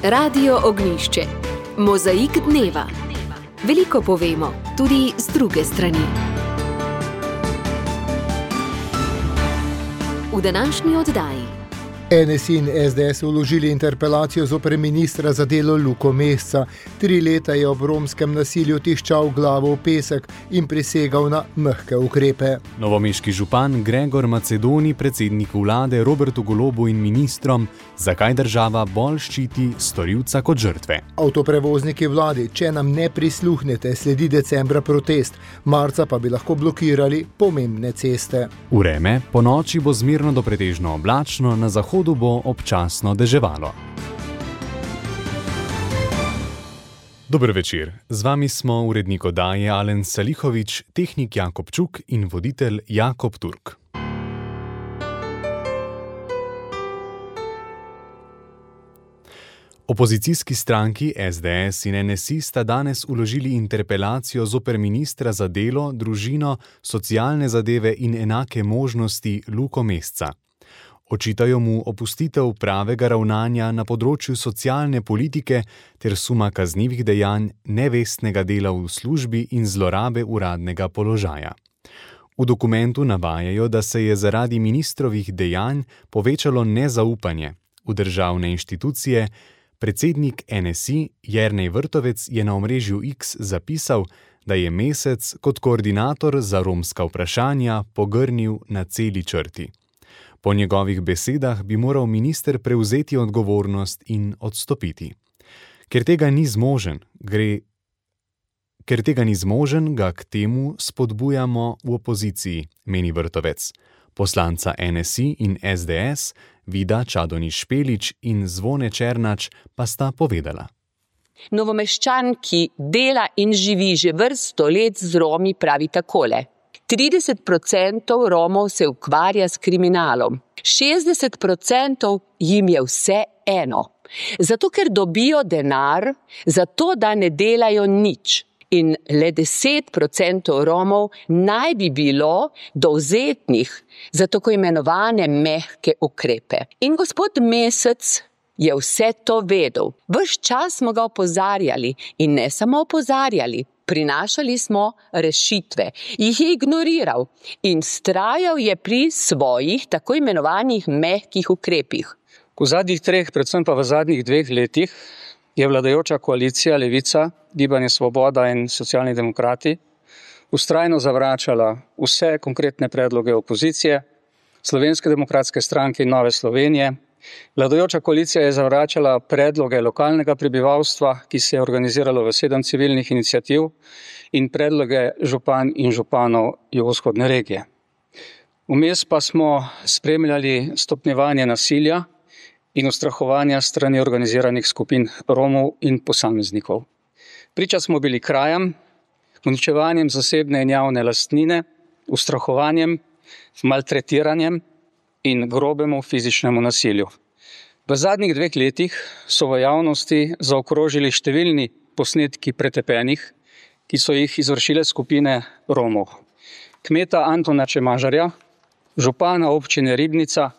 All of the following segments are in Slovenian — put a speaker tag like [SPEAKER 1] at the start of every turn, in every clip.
[SPEAKER 1] Radio Ognjišče. Mozaik dneva. Veliko povemo, tudi z druge strani. V današnji oddaji.
[SPEAKER 2] NSI in SDS vložili interpelacijo zoper ministra za delo Luko Mesca. 3 leta je ob romskem nasilju tiščal glavo v pesek in prisegal na mehke ukrepe.
[SPEAKER 3] Novomeški župan Gregor Macedoni predsedniku vlade Robertu Golobu in ministrom, zakaj država bolj ščiti storilca kot žrtve.
[SPEAKER 2] Avtoprevozniki vladi, če nam ne prisluhnete, sledi decembra protest, marca pa bi lahko blokirali pomembne ceste.
[SPEAKER 3] Vreme, po noči bo zmerno do pretežno oblačno, na zahodu bo občasno deževalo. Dober večer, z vami smo urednik oddaje Alen Salihović, tehnik Jakob Čuk in voditelj Jakob Turk. Opozicijski stranki SDS in NSI sta danes vložili interpelacijo zoper ministra za delo, družino, socialne zadeve in enake možnosti Luko Mesca. Očitajo mu opustitev pravega ravnanja na področju socialne politike ter suma kaznivih dejanj, nevestnega dela v službi in zlorabe uradnega položaja. V dokumentu navajajo, da se je zaradi ministrovih dejanj povečalo nezaupanje v državne inštitucije. Predsednik NSI Jernej Vrtovec je na omrežju X zapisal, da je Mesec kot koordinator za romska vprašanja pogrnil na celi črti. Po njegovih besedah bi moral minister prevzeti odgovornost in odstopiti. Ker tega ni zmožen, ga k temu spodbujamo v opoziciji, meni Vrtovec. Poslanca NSI in SDS, Vida Čadonič Špelič in Zvone Černač pa sta povedala.
[SPEAKER 4] Novomeščan, ki dela in živi že vrsto let z Romi, pravi takole. 30% Romov se ukvarja s kriminalom, 60% jim je vse eno. Zato, ker dobijo denar, zato, da ne delajo nič. In le 10% Romov naj bi bilo dovzetnih za tako imenovane mehke ukrepe. In gospod Mesec je vse to vedel. Ves čas smo ga opozarjali in ne samo opozarjali, prinašali smo rešitve, jih je ignoriral in vztrajal je pri svojih tako imenovanih mehkih ukrepih.
[SPEAKER 5] V zadnjih 3, predvsem pa v zadnjih 2 letih, je vladajoča koalicija Levica, Gibanje Svoboda in Socialni demokrati vztrajno zavračala vse konkretne predloge opozicije, Slovenske demokratske stranke in Nove Slovenije. Vladajoča koalicija je zavračala predloge lokalnega prebivalstva, ki se je organiziralo v 7 civilnih iniciativ, in predloge župan in županov jugovzhodne regije. Vmes pa smo spremljali stopnjevanje nasilja in ustrahovanja strani organiziranih skupin Romov in posameznikov. Priča smo bili krajam, uničevanjem zasebne in javne lastnine, ustrahovanjem, maltretiranjem in grobemu fizičnemu nasilju. V zadnjih 2 letih so v javnosti zaokrožili številni posnetki pretepenih, ki so jih izvršile skupine Romov. Kmeta Antona Čemažarja, župana občine Ribnica,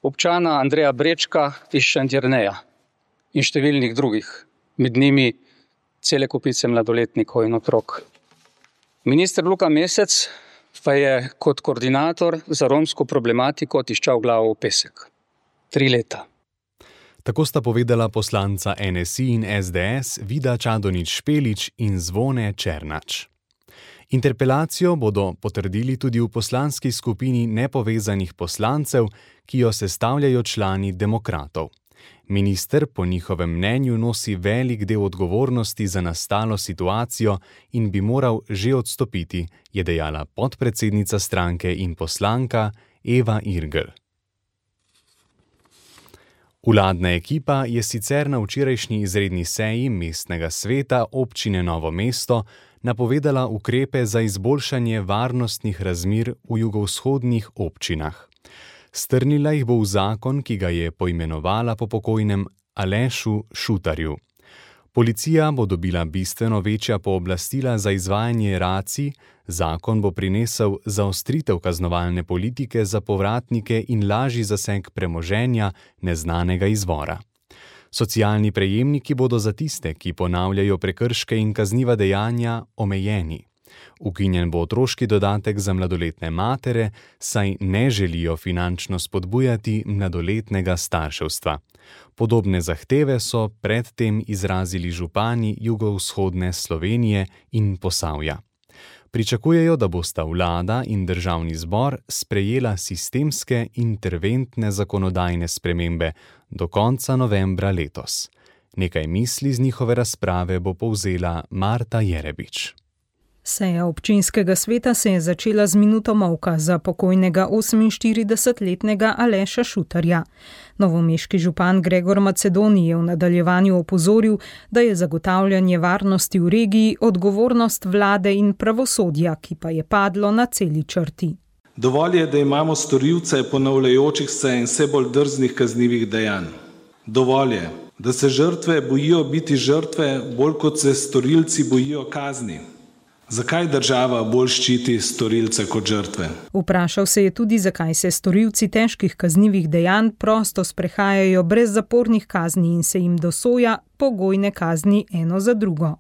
[SPEAKER 5] občana Andreja Brečka iz Šentjerneja in številnih drugih, med njimi cele kupice mladoletnikov in otrok. Minister Luka Mesec pa je kot koordinator za romsko problematiko tiščal glavo v pesek. 3 leta.
[SPEAKER 3] Tako sta povedala poslanca NSI in SDS Vida Čadonič Špelič in Zvone Černač. Interpelacijo bodo potrdili tudi v poslanski skupini nepovezanih poslancev, ki jo sestavljajo člani demokratov. Minister po njihovem mnenju nosi velik del odgovornosti za nastalo situacijo in bi moral že odstopiti, je dejala podpredsednica stranke in poslanka Eva Irgl. Vladna ekipa je sicer na včerajšnji izredni seji mestnega sveta občine Novo mesto napovedala ukrepe za izboljšanje varnostnih razmer v jugovzhodnih občinah. Strnila jih bo v zakon, ki ga je poimenovala po pokojnem Alešu Šutarju. Policija bo dobila bistveno večja pooblastila za izvajanje racij, zakon bo prinesel zaostritev kaznovalne politike za povratnike in lažji zaseg premoženja neznanega izvora. Socialni prejemniki bodo za tiste, ki ponavljajo prekrške in kazniva dejanja, omejeni. Ukinjen bo otroški dodatek za mladoletne matere, saj ne želijo finančno spodbujati mladoletnega starševstva. Podobne zahteve so predtem izrazili župani jugovzhodne Slovenije in Posavja. Pričakujejo, da bosta vlada in državni zbor sprejela sistemske interventne zakonodajne spremembe do konca novembra letos. Nekaj misli z njihove razprave bo povzela Marta Jerebič.
[SPEAKER 6] Seja občinskega sveta se je začela z minuto molka za pokojnega 48-letnega Aleša Šutarja. Novomeški župan Gregor Macedoni je v nadaljevanju opozoril, da je zagotavljanje varnosti v regiji odgovornost vlade in pravosodja, ki pa je padlo na celi črti.
[SPEAKER 7] Dovolj je, da imamo storilce ponavljajočih se in vse bolj drznih kaznivih dejanj. Dovolj je, da se žrtve bojijo biti žrtve, bolj kot se storilci bojijo kazni. Zakaj država bolj ščiti storilce kot žrtve?
[SPEAKER 6] Vprašal se je tudi, zakaj se storilci težkih kaznivih dejanj prosto sprehajajo brez zapornih kazni in se jim dosoja pogojne kazni eno za drugo.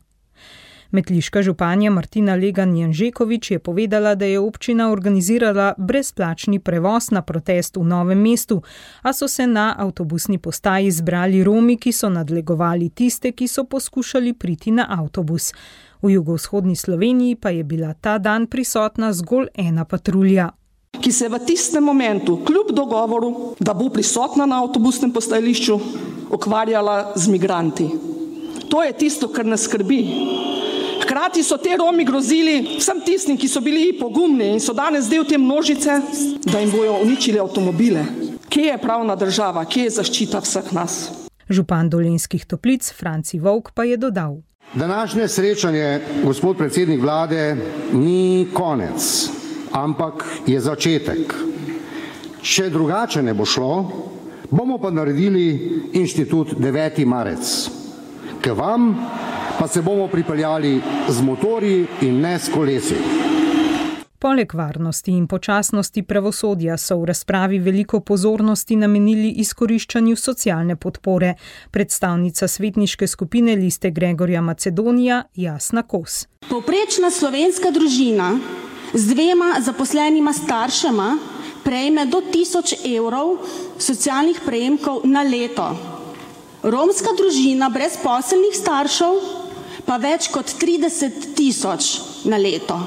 [SPEAKER 6] Metliška županja Martina Legan-Janžekovič je povedala, da je občina organizirala brezplačni prevoz na protest v Novem mestu, a so se na avtobusni postaji zbrali Romi, ki so nadlegovali tiste, ki so poskušali priti na avtobus. V jugovzhodni Sloveniji pa je bila ta dan prisotna zgolj ena patrulja,
[SPEAKER 8] ki se je v tistem momentu, kljub dogovoru, da bo prisotna na avtobusnem postajališču, ukvarjala z migranti. To je tisto, kar nas skrbi. Hkrati so te Romi grozili vsem tistim, ki so bili pogumni in so danes del te množice, da jim bojo uničili avtomobile. Kje je pravna država, kje je zaščita vseh nas?
[SPEAKER 6] Župan Dolenjskih Toplic Franci Vovk pa je dodal.
[SPEAKER 9] Današnje srečanje, gospod predsednik vlade, ni konec, ampak je začetek. Če drugače ne bo šlo, bomo pa naredili inštitut 9. marec. K vam pa se bomo pripeljali z motorji in ne s kolesi.
[SPEAKER 6] Poleg varnosti in počasnosti pravosodja so v razpravi veliko pozornosti namenili izkoriščanju socialne podpore. Predstavnica svetniške skupine Liste Gregorja Macedonija Jasna Kos.
[SPEAKER 10] Povprečna slovenska družina z 2 zaposlenima staršema prejme do 1000 evrov socialnih prejemkov na leto. Romska družina brezposelnih staršev pa več kot 30 000 na leto.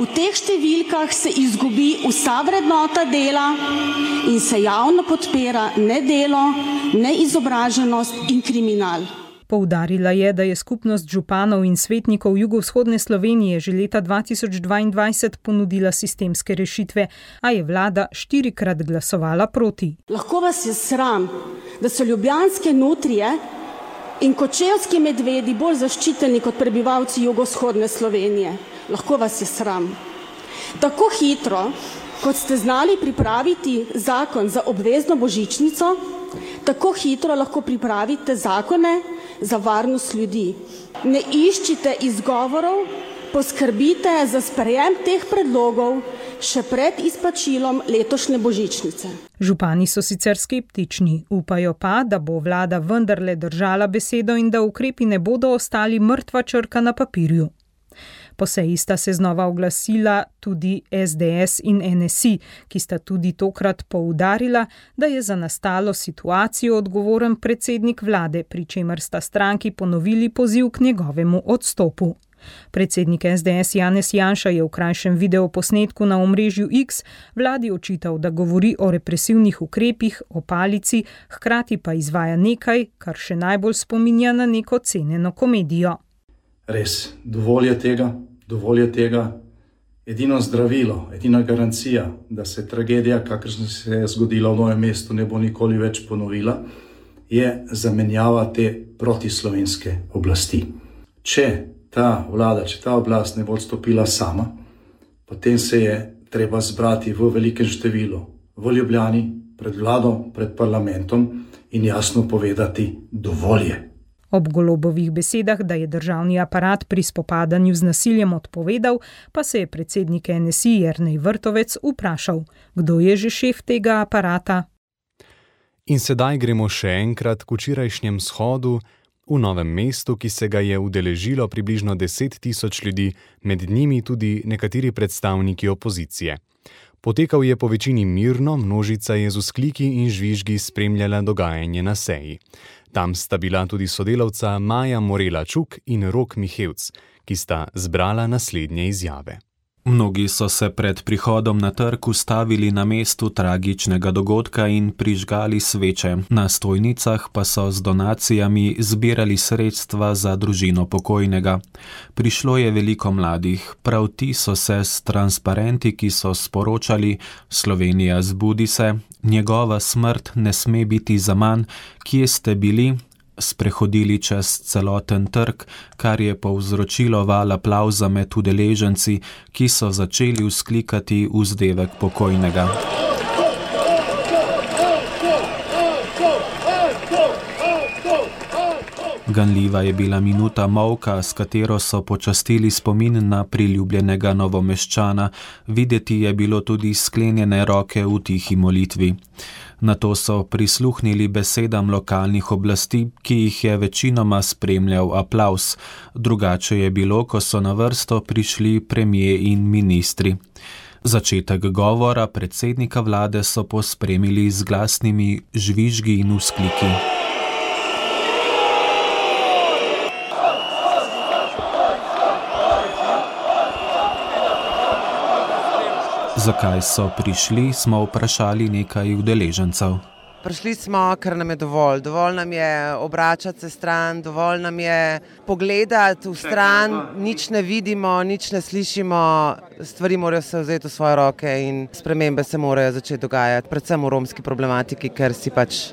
[SPEAKER 10] V teh številkah se izgubi vsa vrednota dela in se javno podpira nedelo, neizobraženost in kriminal.
[SPEAKER 6] Poudarila je, da je skupnost županov in svetnikov jugovzhodne Slovenije že leta 2022 ponudila sistemske rešitve, a je vlada 4-krat glasovala proti.
[SPEAKER 10] Lahko vas je sram, da so ljubljanske nutrije in kočevski medvedi bolj zaščiteni kot prebivalci jugovzhodne Slovenije. Lahko vas je sram. Tako hitro, kot ste znali pripraviti zakon za obvezno božičnico, tako hitro lahko pripravite zakone za varnost ljudi. Ne iščite izgovorov, poskrbite za sprejem teh predlogov še pred izplačilom letošnje božičnice.
[SPEAKER 6] Župani so sicer skeptični, upajo pa, da bo vlada vendarle držala besedo in da ukrepi ne bodo ostali mrtva črka na papirju. Po seji sta se znova oglasila tudi SDS in NSI, ki sta tudi tokrat poudarila, da je za nastalo situacijo odgovoren predsednik vlade, pri čemer sta stranki ponovili poziv k njegovemu odstopu. Predsednik SDS Janez Janša je v krajšem videoposnetku na omrežju X vladi očital, da govori o represivnih ukrepih, o palici, hkrati pa izvaja nekaj, kar še najbolj spominja na neko ceneno komedijo.
[SPEAKER 11] Res, dovolj je tega. Edino zdravilo, edina garancija, da se tragedija, kakršna se je zgodila v Novem mestu, ne bo nikoli več ponovila, je zamenjava te protislovenske oblasti. Če ta vlada, če ta oblast ne bo odstopila sama, potem se je treba zbrati v velikem številu v Ljubljani, pred vlado, pred parlamentom in jasno povedati dovolj je.
[SPEAKER 6] Ob Golobovih besedah, da je državni aparat pri spopadanju z nasiljem odpovedal, pa se je predsednik NSI Jernej Vrtovec vprašal, kdo je že šef tega aparata.
[SPEAKER 3] In sedaj gremo še enkrat k včerajšnjem shodu v Novem mestu, ki se ga je udeležilo približno 10 000 ljudi, med njimi tudi nekateri predstavniki opozicije. Potekal je po večini mirno, množica je z vzkliki in žvižgi spremljala dogajanje na seji. Tam sta bila tudi sodelavca Maja Morela Čuk in Rok Mihevc, ki sta zbrala naslednje izjave.
[SPEAKER 12] Mnogi so se pred prihodom na trg ustavili na mestu tragičnega dogodka in prižgali sveče. Na stojnicah pa so z donacijami zbirali sredstva za družino pokojnega. Prišlo je veliko mladih, prav ti so se s transparenti, ki so sporočali: Slovenija, zbudi se, njegova smrt ne sme biti zaman, kje ste bili? Sprehodili čez celoten trg, kar je povzročilo val aplavza med udeleženci, ki so začeli vzklikati vzdevek pokojnega. Ganljiva je bila minuta molka, s katero so počastili spomin na priljubljenega Novomeščana. Videti je bilo tudi sklenjene roke v tihi molitvi. Nato so prisluhnili besedam lokalnih oblasti, ki jih je večinoma spremljal aplavz. Drugače je bilo, ko so na vrsto prišli premier in ministri. Začetek govora predsednika vlade so pospremili z glasnimi žvižgi in vzkliki. Zakaj so prišli, smo vprašali nekaj udeležencev.
[SPEAKER 13] Prišli smo, ker nam je dovolj. Dovolj nam je obračati se stran, dovolj nam je pogledati v stran, nič ne vidimo, nič ne slišimo, stvari morajo se vzeti v svoje roke in spremembe se morajo začeti dogajati, predvsem v romski problematiki, ker si pač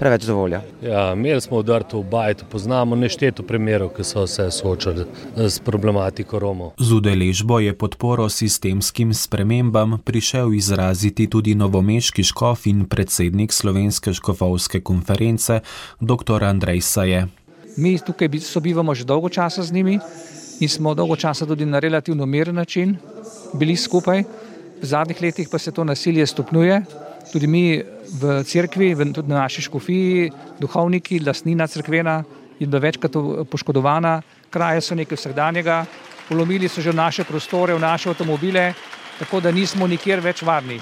[SPEAKER 13] preveč dovolja.
[SPEAKER 14] Ja, imeli smo udrt v bajtu, poznamo nešteto primerov, ki so se soočali s problematiko Romov.
[SPEAKER 12] Z udeležbo je podporo sistemskim spremembam prišel izraziti tudi novomeški škof in predsednik Slovenske škofovske konference, dr. Andrej Saje.
[SPEAKER 15] Mi tukaj sobivamo že dolgo časa z njimi in smo dolgo časa tudi na relativno miren način bili skupaj. V zadnjih letih pa se to nasilje stopnjuje. Tudi mi v cerkvi, tudi na naši škofiji, duhovniki, lastnina cerkvena je bila večkrat poškodovana, kraje so nekaj vsakdanjega, vlomili so že v naše prostore, v naše avtomobile, tako da nismo nikjer več varni.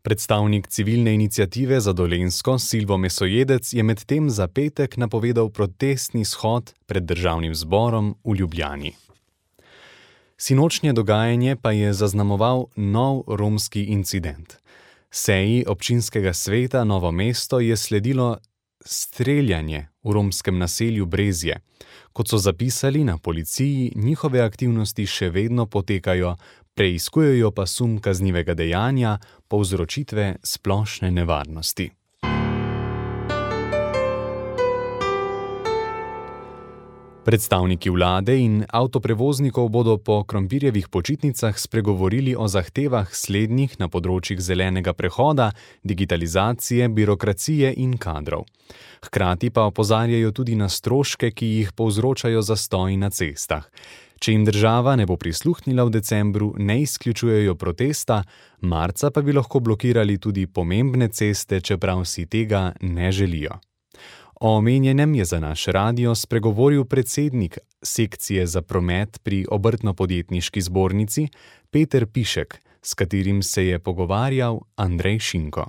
[SPEAKER 3] Predstavnik civilne iniciative za Dolenjsko, Silvo Mesojedec, je medtem za petek napovedal protestni shod pred državnim zborom v Ljubljani. Sinočnje dogajanje pa je zaznamoval nov romski incident. Seji občinskega sveta Novo mesto je sledilo streljanje v romskem naselju Brezje. Kot so zapisali na policiji, njihove aktivnosti še vedno potekajo, preiskujejo pa sum kaznivega dejanja povzročitve splošne nevarnosti. Predstavniki vlade in avtoprevoznikov bodo po krompirjevih počitnicah spregovorili o zahtevah slednjih na področjih zelenega prehoda, digitalizacije, birokracije in kadrov. Hkrati pa opozarjajo tudi na stroške, ki jih povzročajo zastoji na cestah. Če jim država ne bo prisluhnila v decembru, ne izključujejo protesta, marca pa bi lahko blokirali tudi pomembne ceste, čeprav si tega ne želijo. O omenjenem je za naš radio spregovoril predsednik sekcije za promet pri Obrtno-podjetniški zbornici Peter Pišek, s katerim se je pogovarjal Andrej Šinko.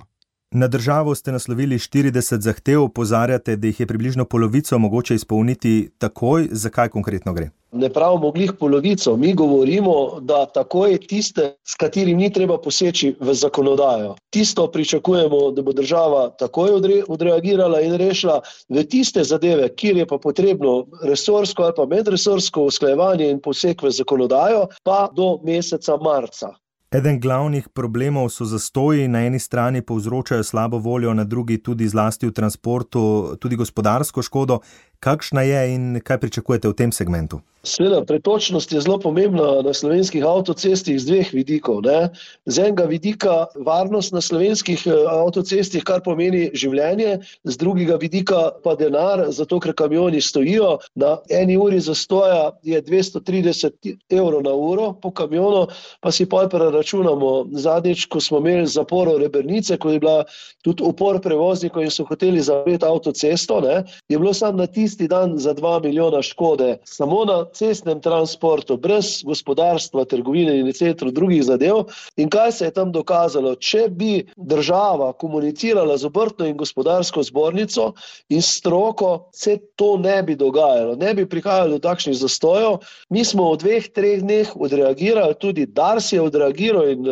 [SPEAKER 16] Na državo ste naslovili 40 zahtev, opozarjate, da jih je približno polovico mogoče izpolniti takoj. Zakaj konkretno gre?
[SPEAKER 17] Ne pravimo glih polovico, mi govorimo, da takoj tiste, s katerim ni treba poseči v zakonodajo. Tisto pričakujemo, da bo država takoj odreagirala in rešila. V tiste zadeve, kjer je pa potrebno resorsko ali pa medresorsko usklajevanje in poseg v zakonodajo, pa do meseca marca.
[SPEAKER 16] Eden glavnih problemov so zastoji, na eni strani povzročajo slabo voljo, na drugi tudi zlasti v transportu, tudi gospodarsko škodo. Kakšna je in kaj pričakujete v tem segmentu?
[SPEAKER 17] Sveda, pretočnost je zelo pomembna na slovenskih avtocestih z dveh vidikov. Ne? Z enega vidika varnost na slovenskih avtocestih, kar pomeni življenje, z drugega vidika pa denar, zato ker kamioni stojijo. Na 1 uri zastoja je 230 € na uro po kamionu, pa si pol preračunamo. Zadnjič, ko smo imeli zaporo Rebernice, ko je bila tudi upor prevoznikov in so hoteli zapreti avtocesto, ne? Je bilo samo na tisti dan za 2 milijona škode. Samo na cestnem transportu, brez gospodarstva, trgovine in etc. drugih zadev. In kaj se je tam dokazalo? Če bi država komunicirala z obrtno in gospodarsko zbornico in stroko, se to ne bi dogajalo. Ne bi prihajalo do takšnih zastojev. Mi smo v 2-3 dneh odreagirali, tudi Dars je odreagiral in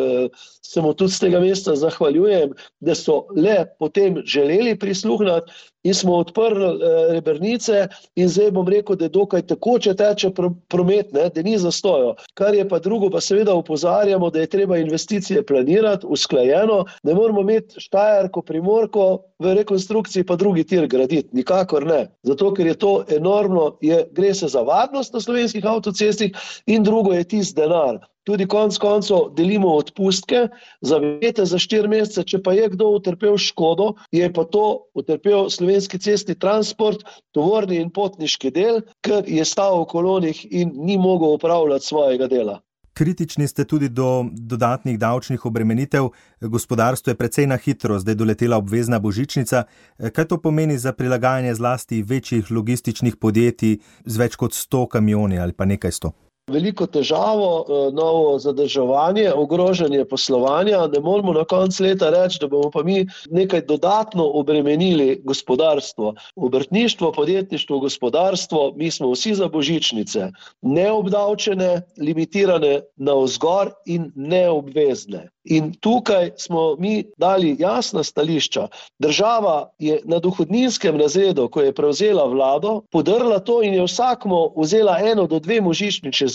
[SPEAKER 17] se mu tudi z tega mesta zahvaljujem, da so le potem želeli prisluhniti in smo odprli Rebernice in zdaj bom rekel, da je dokaj tekoče teče promet, ne, da ni zastojo. Kar je pa drugo, pa seveda opozarjamo, da je treba investicije planirati usklajeno, ne moramo imeti Štajerko, Primorko v rekonstrukciji pa drugi tir graditi, nikakor ne. Zato, ker je to enormno, gre se za varnost na slovenskih avtocestih in drugo je tisti denar. Tudi konec koncev delimo odpustke, zavete za 4 mesece, če pa je kdo utrpel škodo, je pa to utrpel slovenski cestni transport, tovorni in potniški del, ker je stal v kolonih in ni mogel opravljati svojega dela.
[SPEAKER 16] Kritični ste tudi do dodatnih davčnih obremenitev. Gospodarstvo je precej na hitro zdaj doletela obvezna božičnica. Kaj to pomeni za prilagajanje zlasti večjih logističnih podjetij z več kot 100 kamioni ali pa nekaj 100?
[SPEAKER 17] Veliko težavo, novo zadrževanje, ogrožanje poslovanja. Ne moramo na koncu leta reči, da bomo pa mi nekaj dodatno obremenili gospodarstvo. Obrtništvo, podjetništvo, gospodarstvo, mi smo vsi za božičnice. Neobdavčene, limitirane navzgor in neobvezne. In tukaj smo mi dali jasna stališča. Država je na dohodninskem razredu, ko je prevzela vlado, podrla to in je vsakmo vzela 1 do 2 božičnice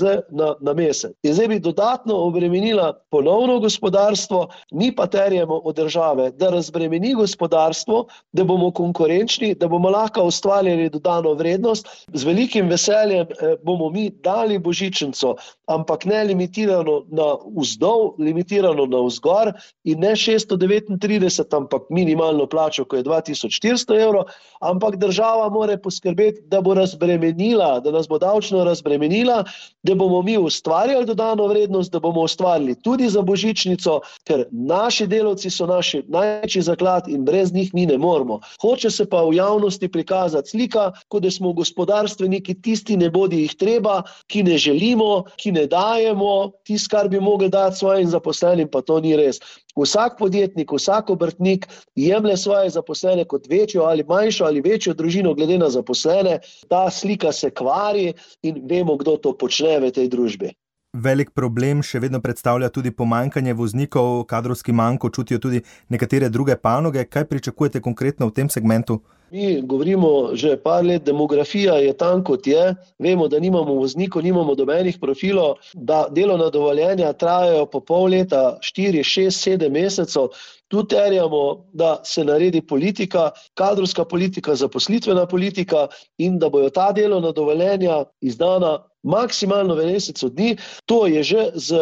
[SPEAKER 17] na mesec. In zdaj bi dodatno obremenila ponovno gospodarstvo, mi pa terjamo od države, da razbremeni gospodarstvo, da bomo konkurenčni, da bomo lahko ustvarjali dodano vrednost. Z velikim veseljem bomo mi dali božičnico, ampak ne limitirano na vzdolj, limitirano na vzgor in ne 639, ampak minimalno plačo, ko je 2400 €, ampak država mora poskrbeti, da bo razbremenila, da nas bo davčno razbremenila, da bomo mi ustvarjali dodano vrednost, da bomo ustvarjali tudi za božičnico, ker naši delavci so naši največji zaklad in brez njih mi ne moremo. Hoče se pa v javnosti prikazati slika, kot da smo gospodarstveniki tisti nebodi jih treba, ki ne želimo, ki ne dajemo, tisto, kar bi mogli dati svojim zaposlenim, pa to ni res. Vsak podjetnik, vsak obrtnik jemlje svoje zaposlene kot večjo ali manjšo ali večjo družino glede na zaposlene. Ta slika se kvari in vemo, kdo to počne v tej družbi.
[SPEAKER 16] Velik problem še vedno predstavlja tudi pomanjkanje voznikov, kadrovski manko čutijo tudi nekatere druge panoge. Kaj pričakujete konkretno v tem segmentu?
[SPEAKER 17] Mi govorimo že par let, demografija je tam, kot je. Vemo, da nimamo voznikov, nimamo dobenih profilov, da delovna dovoljenja trajajo po pol leta, 4, 6, 7 mesecev. Tu terjamo, da se naredi politika, kadrovska politika, zaposlitvena politika in da bojo ta delovna dovoljenja izdana maksimalno v mesecu dni. To je že z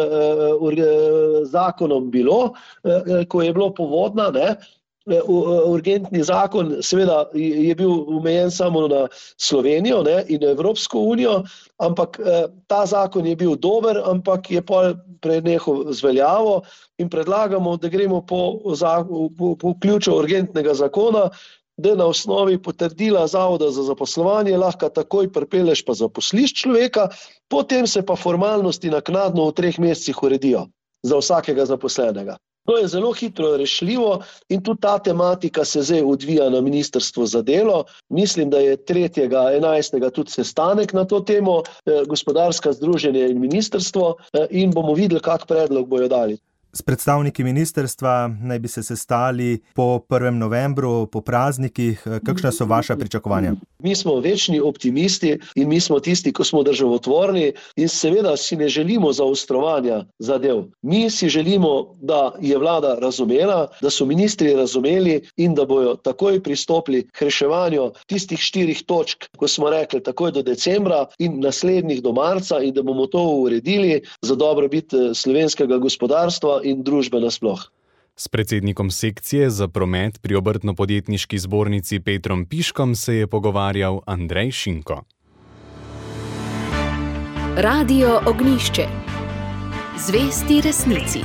[SPEAKER 17] zakonom bilo, ko je bilo povodna, ne? Urgentni zakon seveda je bil omejen samo na Slovenijo, ne, in Evropsko unijo, ampak ta zakon je bil dober, ampak je prenehal z veljavo in predlagamo, da gremo po ključu urgentnega zakona, da na osnovi potrdila Zavoda za zaposlovanje lahko takoj pripelješ pa zaposliš človeka, potem se pa formalnosti naknadno v 3 mesecih uredijo za vsakega zaposlenega. To je zelo hitro rešljivo in tudi ta tematika se zdaj odvija na Ministrstvu za delo. Mislim, da je 3.11. tudi sestanek na to temo, gospodarska združenja in ministrstvo, in bomo videli, kak predlog bojo dali.
[SPEAKER 16] S predstavniki ministrstva naj bi se sestali po 1. novembru, po praznikih. Kakšna so vaša pričakovanja?
[SPEAKER 17] Mi smo večni optimisti in mi smo tisti, ko smo državotvorni in seveda si ne želimo zaostrovanja zadev. Mi si želimo, da je vlada razumela, da so ministri razumeli in da bojo takoj pristopili k reševanju tistih 4 točk, ko smo rekli takoj do decembra in naslednjih do marca in da bomo to uredili za dobrobit slovenskega gospodarstva in družbe nasploh.
[SPEAKER 3] S predsednikom sekcije za promet pri Obrtno-podjetniški zbornici Petrom Piškom se je pogovarjal Andrej Šinko.
[SPEAKER 1] Radio Ognjišče. Zvesti resnici.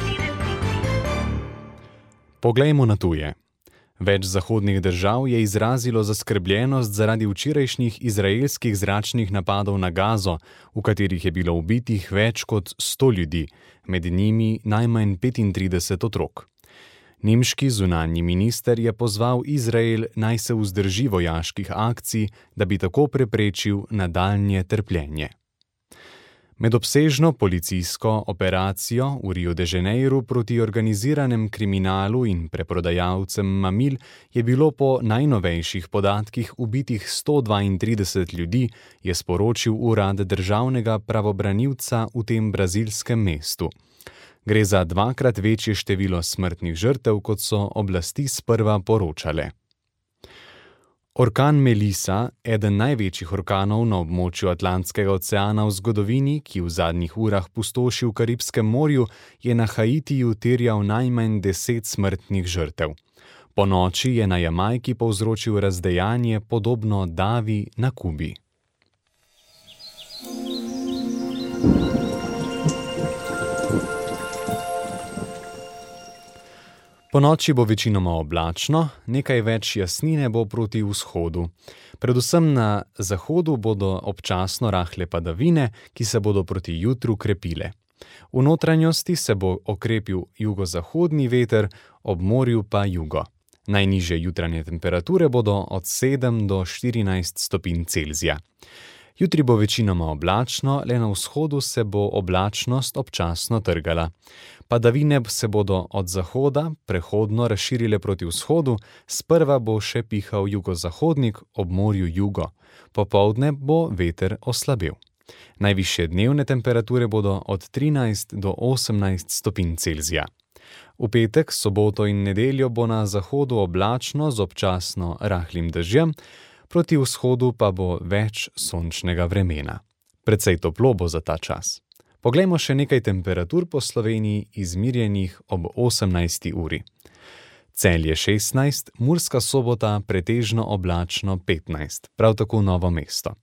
[SPEAKER 1] Poglejmo na tuje. Več zahodnih držav je izrazilo zaskrbljenost zaradi včerajšnjih izraelskih zračnih napadov na Gazo, v katerih je bilo ubitih več kot 100 ljudi, med njimi najmanj 35 otrok. Nemški zunanji minister je pozval Izrael, naj se vzdrži vojaških akcij, da bi tako preprečil nadaljnje trpljenje. Med obsežno policijsko operacijo v Rio de Janeiro proti organiziranem kriminalu in preprodajalcem mamil je bilo po najnovejših podatkih ubitih 132 ljudi, je sporočil urad državnega pravobranilca v tem brazilskem mestu. Gre za 2-krat večje število smrtnih žrtev, kot so oblasti sprva poročale. Orkan Melissa, eden največjih orkanov na območju Atlantskega oceana v zgodovini, ki v zadnjih urah pustoši v Karibskem morju, je na Haitiju terjal najmanj 10 smrtnih žrtev. Po noči je na Jamajki povzročil razdejanje podobno davi na Kubi. Po noči bo večinoma oblačno, nekaj več jasnine bo proti vzhodu. Predvsem na zahodu bodo občasno rahle padavine, ki se bodo proti jutru krepile. V notranjosti se bo okrepil jugozahodni veter, ob morju pa jugo. Najnižje jutranje temperature bodo od 7 do 14 stopinj Celzija. Jutri bo večinoma oblačno, le na vzhodu se bo oblačnost občasno trgala. Padavine se bodo od zahoda prehodno razširile proti vzhodu, sprva bo še pihal jugozahodnik, ob morju jugo. Popoldne bo veter oslabel. Najvišje dnevne temperature bodo od 13 do 18 stopinj Celzija. V petek, soboto in nedeljo bo na zahodu oblačno z občasno rahlim dežjem, proti vzhodu pa bo več sončnega vremena. Precej toplo bo za ta čas. Poglejmo še nekaj temperatur po Sloveniji izmirjenih ob 18. uri. Celje 16, Murska Sobota pretežno oblačno 15, prav tako Novo mesto.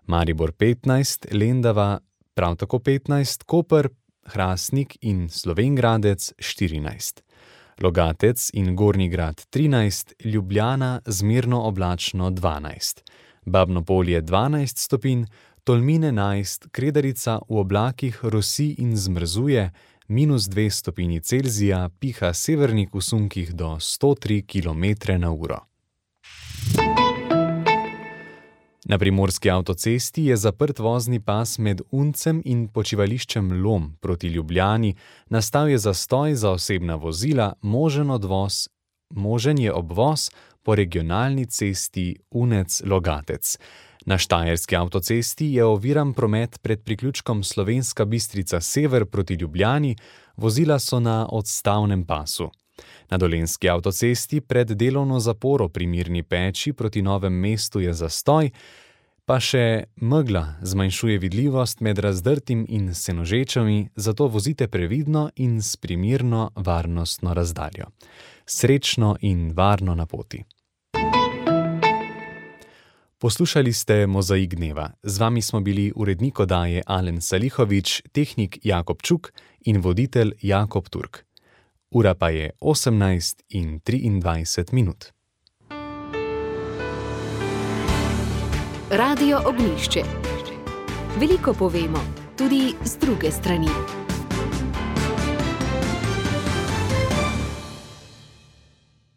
[SPEAKER 1] Maribor 15, Lendava prav tako 15, Koper, Hrastnik in Slovenj Gradec 14. Logatec in Gornji Grad 13, Ljubljana zmerno oblačno 12, Babno Polje 12 stopinj, Tolmin 11, Kredarica v oblakih rosi in zmrzuje, -2 stopinji Celzija, piha severnik v sunkih do 103 km/h. Na primorski avtocesti je zaprt vozni pas med Uncem in počivališčem Lom proti Ljubljani, nastal je zastoj za osebna vozila, možen je obvoz po regionalni cesti Unec-Logatec. Na štajerski avtocesti je oviran promet pred priključkom Slovenska Bistrica sever proti Ljubljani, vozila so na odstavnem pasu. Na dolenjski avtocesti pred delovno zaporo pri Mirni Peči proti Novem mestu je zastoj, pa še megla zmanjšuje vidljivost med Razdrtim in Senožečami, zato vozite previdno in s primerno varnostno razdaljo. Srečno in varno na poti. Poslušali ste Mozaik dneva. Z vami smo bili urednik oddaje Alen Salihović, tehnik Jakob Čuk in voditelj Jakob Turk. Ura pa je 18:23. Radio Ognjišče. Veliko povemo, tudi z druge strani.